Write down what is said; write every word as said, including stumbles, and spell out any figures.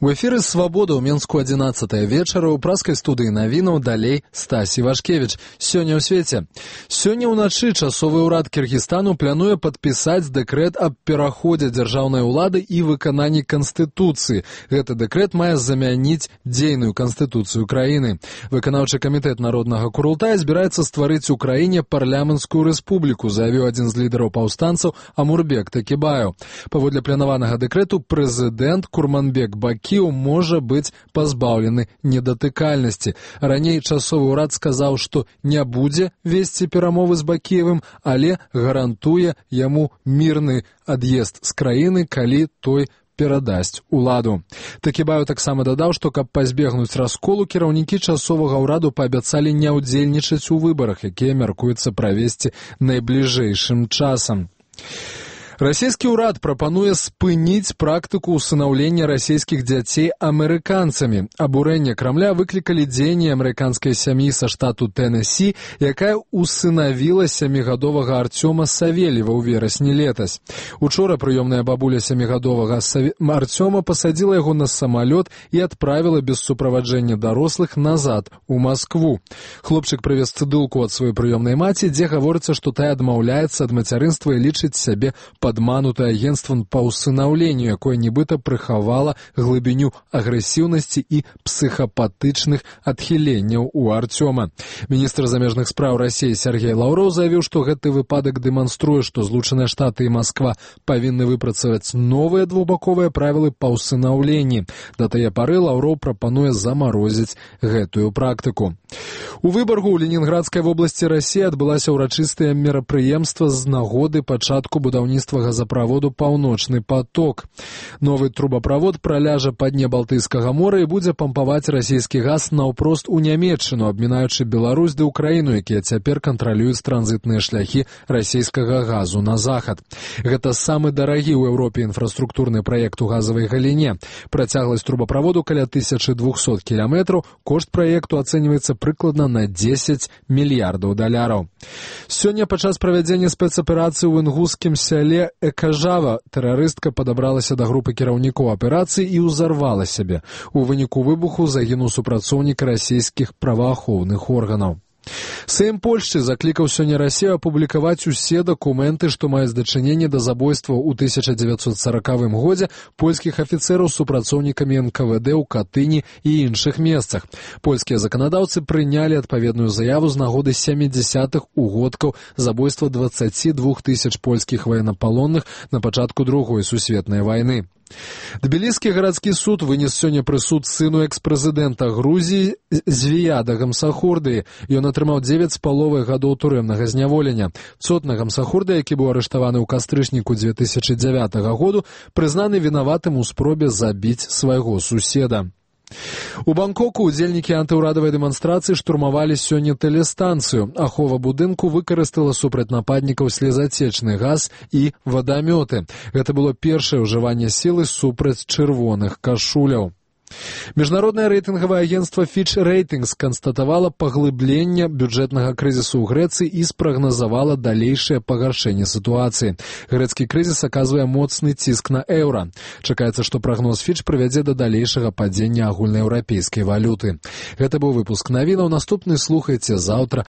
У эфіры «Свабода» ў Менску адзінаццатая вечара ў праскай студыі навінаў далей Стась Івашкевіч. Сёння ў свеце. Сёння ўначы часовы ўрад Кіргізстану плануе падпісаць дэкрэт аб пераходзе дзяржаўнай улады і выкананні Канстытуцыі. Гэты дэкрэт мае замяніць дзейную Канстытуцыю краіны. Выканаўчы камітэт Народнага Курултая збіраецца стварыць у краіне парламенцкую рэспубліку, заявіў адзін з лідараў паўстанцаў Амурбек Такібаев. Паводле планаванага дэкрэту прэзідэнт Курманбек Бакіеў можа быць пазбаўлены недатыкальнасці. Раней часовы ўрад сказаў, што не будзе весці перамовы з Бакіевым, але гарантуе яму мірны ад'езд з краіны, калі той перадасць уладу. Такібаев таксама дадаў, што каб пазбегнуць расколу, кіраўнікі часовага ўраду паабяцалі не ўдзельнічаць у выбарах, якія мяркуецца правесці найбліжэйшым часам. Расійскі ўрад прапануе спыніць практыку ўсынаўлення расійскіх дзяцей амерыканцамі. Абурэнне Крамля выклікалі дзеянні амерыканскай сям'і са штату Тэннессі, якая усынавіла сямігадовага Артёма Савельева ў верасні летась. Учора прыёмная бабуля сямігадовага Артёма пасадзіла яго на самалёт і адправіла без суправаджэння дарослых назад у Маскву. Хлопчык прывез цыдылку ад сваёй прыёмнай маці, дзе гаворыцца, што тая адмаўляецца ад мацярынства і лічыць сябе падманутае агенцтвам па ўсынаўленню, якое нібыта прыхавала глыбіню агрэсіўнасці і псіхапатычных адхіленняў у Артёма. Міністр замежных спраў Расіі Сергей Лаўроў заявіў, што гэты выпадак дэманструе, што Злучаныя Штаты і Масква павінны выпрацаваць новыя двухбаковыя правілы па ўсынаўленні. Да тае пары Лаўроў прапануе замарозіць гэтую практыку. У Выбаргу ў Ленінградскай вобласці Расіі адбылася ўрачыстае мерапрыемства з нагоды пачатку будаўніцтва газаправоду «Паўночны поток». Новы трубаправод праляжа па дне Балтыйскага мора і будзе пампаваць расійскі газ наўпрост у Нямецчыну, абмінаючы Беларусь ды Украіну, якія цяпер кантралююць транзітныя шляхі расійскага газу на захад. Гэта самы дарагі ў Еўропе інфраструктурны праект у газавай галіне. Працягласць трубаправоду каля тысяча двухсот кіламетраў, кошт праекту ацэньваецца прыкладна на дзесяць мільярдаў даляраў. Сёння падчас правядзення спецаперацыі ў інгускім сяле Экажава тэрарыстка падабралася да групы кіраўнікоў аперацыі і ўзарвала сябе. У выніку выбуху загінуў супрацоўнік расійскіх праваахоўных органаў. Сейм Польшчы заклікаў сёння Расію апублікаваць усе дакументы, што маюць дачыненне да забойстваў у тысяча дзевяцьсот саракавым годзе польскіх афіцэраў з супрацоўнікамі эн ка вэ дэ ў Катыні і іншых месцах. Польскія заканадаўцы прынялі адпаведную заяву з нагоды сямідзясятых угодкаў забойства дваццаці двух тысяч польскіх ваеннапалонных на пачатку другой сусветнай вайны. Тбіліскі гарадскі суд вынес сёння прысуд сыну экс-прэзідэнта Грузіі Звіяда Гамсахурдыі. Ён атрымаў дзевяць з паловай гадоў турэмнага зняволення. Цотна Гамсахурды, які быў арыштаваны ў кастрычніку дзве тысячы дзявятага году, прызнаны вінаватым у спробе забіць свайго суседа. У Бангкоку удзельнікі антыўрадавай дэманстрацыі штурмавалі сёння тэлестанцыю. Ахова будынку выкарыстала супраць нападнікаў слезацечны газ і вадамёты. Гэта было першае ўжыванне сілы супраць чырвоных кашуляў. Міжнароднае рэйтынгавае агенцтва Fitch Ratings канстатавала паглыбленне бюджэтнага крызісу ў Грэцыі і спрагназавала далейшае пагаршэнне сітуацыі. Грэцкі крызіс аказвае моцны ціск на еўра. Чакаецца, што прагноз Fitch прывядзе да далейшага падзення агульнаеўрапейскай валюты. Гэта быў выпуск навінаў. Наступны слухайце заўтра